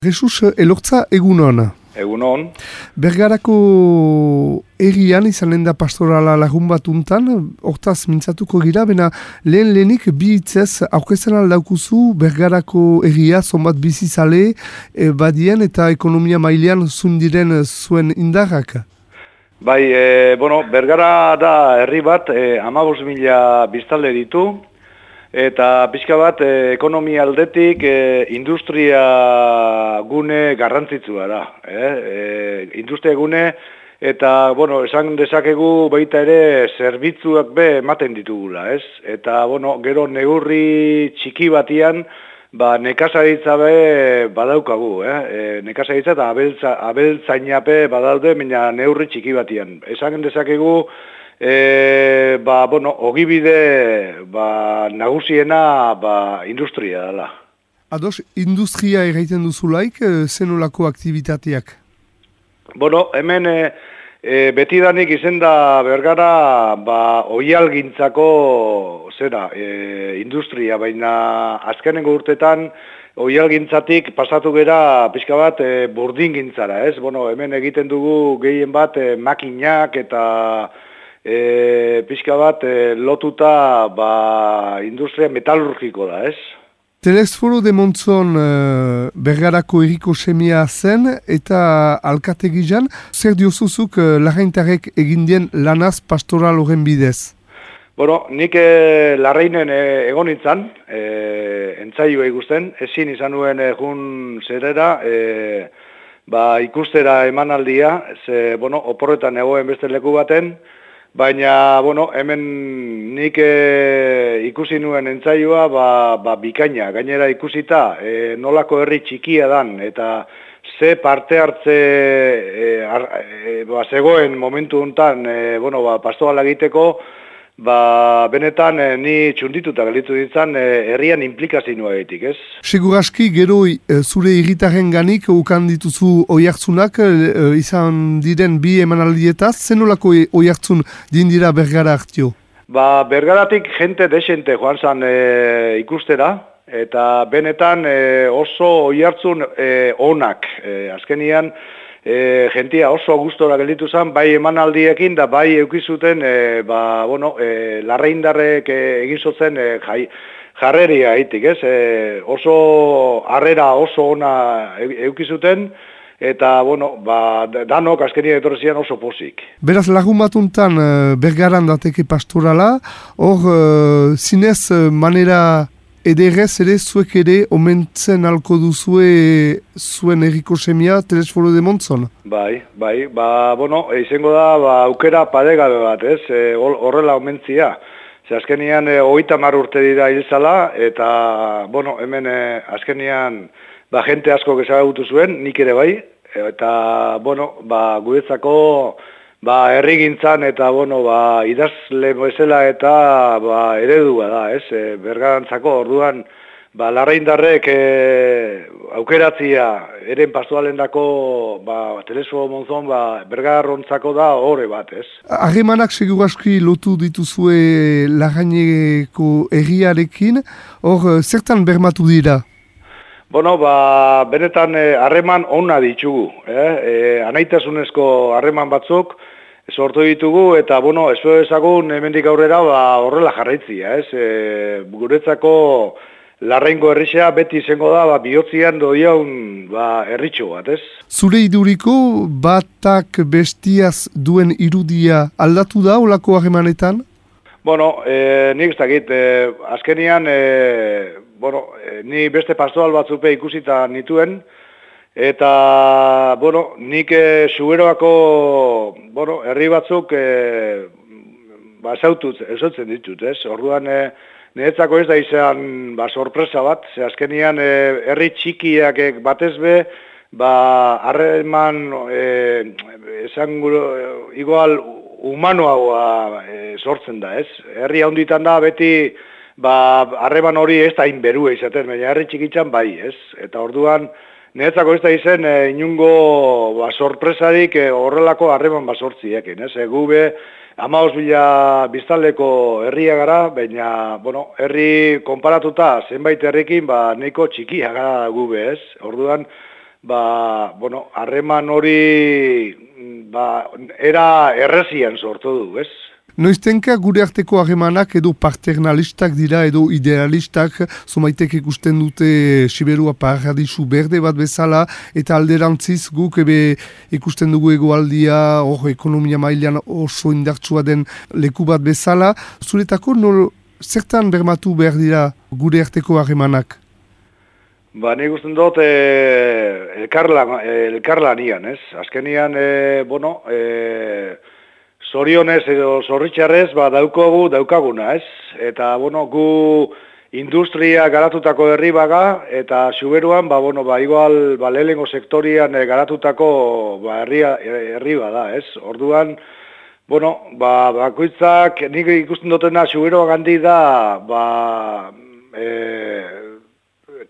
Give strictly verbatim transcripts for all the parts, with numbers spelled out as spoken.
Jesus, elortza egunon. Egunon. Bergarako errian izanen da pastorala lagun bat untan, hortaz mintzatuko gira, bena lehen lehenik bi hitzez aurkezten aldaukuzu Bergarako erria, zonbat bizizale, e, badien eta ekonomia mailean zundiren zuen indarrak. Bai, e, bueno, Bergara da herri bat, e, hamabost mila biztanle ditu, eta pixka bat e, ekonomia aldetik e, industria gune garrantzitsua da. Eh? E, industria gune eta, bueno, esan dezakegu baita ere zerbitzuak be ematen ditugula, ez? Eta, bueno, gero neurri txiki batian, ba, nekazaritza be badaukagu, eh? E, nekazaritza eta abeltza, abeltzainape badaude, baina neurri txiki batian. Esan dezakegu, E, ba, bueno, ogibide ba, nagusiena ba, industria dela. Ados, industria egiten duzulaik, zenolako aktivitateak? Bueno, hemen e, e, betidanik izen da Bergara ba, oihalgintzako zera, e, industria, baina azkenengo urtetan oihalgintzatik pasatu gera pixka bat e, burdingintzara, ez? Bueno, hemen egiten dugu gehien bat e, makinak eta E, pixka bat e, lotuta ba, industria metalurgiko da, ez? Telesforo de Montzon e, Bergarako erriko semia zen eta alkategizan, zer diozuzuk e, larraintarek egindien lanaz pastoral horren bidez? Bueno, nik e, larrainen e, egon nintzen, e, entzaioa ikusten, ezin izan nuen e, jun zerera, e, ba, ikustera emanaldia, ze, bueno, oporretan egoen beste leku baten, baina, bueno, hemen nik e, ikusi nuen entzaioa ba, ba, bikaina, gainera ikusita e, nolako herri txikia dan, eta ze parte hartze e, ar, e, ba, zegoen momentu hontan, e, bueno, ba, pastoala egiteko, ba, benetan e, ni txundituta galitu ditzan e, herrian implikazioa egitik, ez? Seguraski gero e, zure irritaren ganik ukan dituzu oihartzunak e, izan diren bi emanaldietaz, zenolako e, oihartzun dindira Bergara hartio? Ba, Bergaratik jente desente joan zan e, ikustera, eta benetan e, oso oihartzun e, onak, e, azkenian, E, jentia oso gustora gelditu zen, bai emanaldiekin da bai eukizuten e, ba, bueno, e, larraindarrek e, egin zotzen e, jai, jarreria haitik, ez? E, oso harrera oso ona eukizuten, eta, bueno, ba, danok azkenia etorrezian oso pozik. Beraz, lagun batuntan Bergaran dateke pastorala, hor zinez manera ederrez ere zuek ere omentzen alko duzue zuen erriko semia Telesforo de Montzon? Bai, bai, ba, bueno, izango da, ba, aukera paregabe bat, ez, e, horrela omentzia. Ze azkenian, e, hogeita hamar urte dira hilzala, eta, bueno, hemen e, azkenian, ba, jente asko ezagutu zuen, nik ere bai, eta, bueno, ba, guretzako, ba, herrigintzan eta, bueno, ba, idazle bezala eta, ba, eredua da, ez, e, Bergarantzako orduan, ba, larraindarrek e, aukeratzia, eren pastoalendako, ba, Telesforo Montzon, ba, Bergarrontzako da horre bat, ez. Harremanak seguraski lotu dituzue larraineko herriarekin, hor, zertan bermatu dira? Bueno, ba, benetan harreman eh, onna ditugu, eh? E, anaitasunezko harreman batzuk sortu ditugu, eta, bueno, ez ezagun hemendik aurrera ba, horrela jarraitzia, ez? E, guretzako larraingo herrixea beti izango da, ba, bihotzian doiaun ba, herritxo bat, ez? Zure iduriko batak bestiaz duen irudia aldatu da olako harremanetan? Bueno, e, nik ez dakit, e, azkenian, e, bueno, e, ni beste pastoral batzupe ikusita nituen, eta, bueno, nik e, Zuberoako, bueno, herri batzuk e, ba, esautut, esautzen ditut, ez? Orduan, e, niretzako ez da izan, ba, sorpresa bat, ze azkenian e, herri txikiak batez be, ba, harreman, e, esan gure, igual, humanoa e, sortzen da, ez? Herri handitan da, beti, ba, harreman hori ez da inberua izaten, baina herri txikitzan bai, ez? Eta orduan, niretzako ez da izen, e, inungo ba, sorpresarik e, horrelako harreman basortziekin, ez? E, gube, hamabost mila biztanleko herria gara, baina, bueno, herri konparatuta zenbait herrikin, ba, nahiko txikia gara gube, ez? Orduan, ba, bueno, harreman hori, ba, era errezian sortu du, ez? Noiztenka gure arteko harremanak edo paternalistak dira edo idealistak, zomaitek ikusten dute Siberua paradisu berde bat bezala, eta alderantziz guk ebe ikusten dugu egoaldia, hor ekonomia mailan oso indartsua den leku bat bezala. Zuretako nol, zertan bermatu behar dira gure arteko harremanak? Ba, nik usten dut eh, elkarlan, elkarlanian, ez? Azkenian, eh, bueno, eh, zorionez edo zorritxarrez, ba, daukogu, daukaguna, ez? Eta, bueno, gu industria garatutako herri baga, eta Xuberuan, ba, bueno, ba, igual, ba, lehengo sektorian e, garatutako, ba, herri, herri bada, ez? Orduan, bueno, ba, bakoitzak, nik ikusten dutena Xuberuak handi da, ba, e,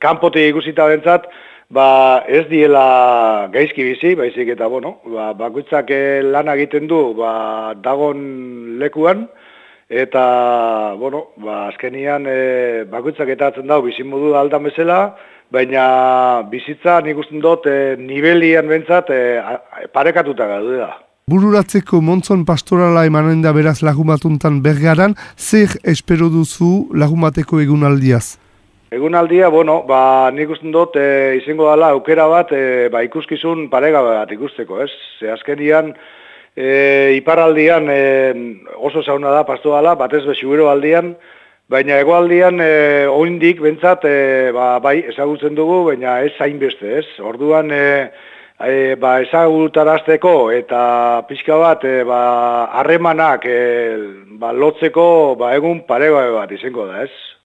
kanpotik ikusita bentzat, ba, ez diela gaizki bizi, baizik eta, bueno, ba, bakoitzak lan egiten du, ba, dagon lekuan, eta, bueno, ba, azkenian e, bakoitzak eta atzen dago bizimodu aldan bezala, baina bizitza nik usten dut e, nivelian bentzat e, parekatuta gaude da. Bururatzeko montzon pastorala emanen da beraz lagumatuntan Bergaran, zer espero duzu lagumateko egunaldiaz? Egunaldia, bueno, ba, nik usten dut e, izango dela aukera bat e, ba, ikuskizun parega bat ikusteko, ez? Ze azkenian, e, iparraldian e, oso zauna da pastoala, batez be Xubero aldian, baina hegoaldian e, oindik bentsat, e, ba, bai, ezagutzen dugu, baina ez hainbeste, ez? Orduan, e, e, ba, ezagutarazteko eta pixka bat, e, ba, harremanak e, ba, lotzeko ba, egun parega bat izango da, ez?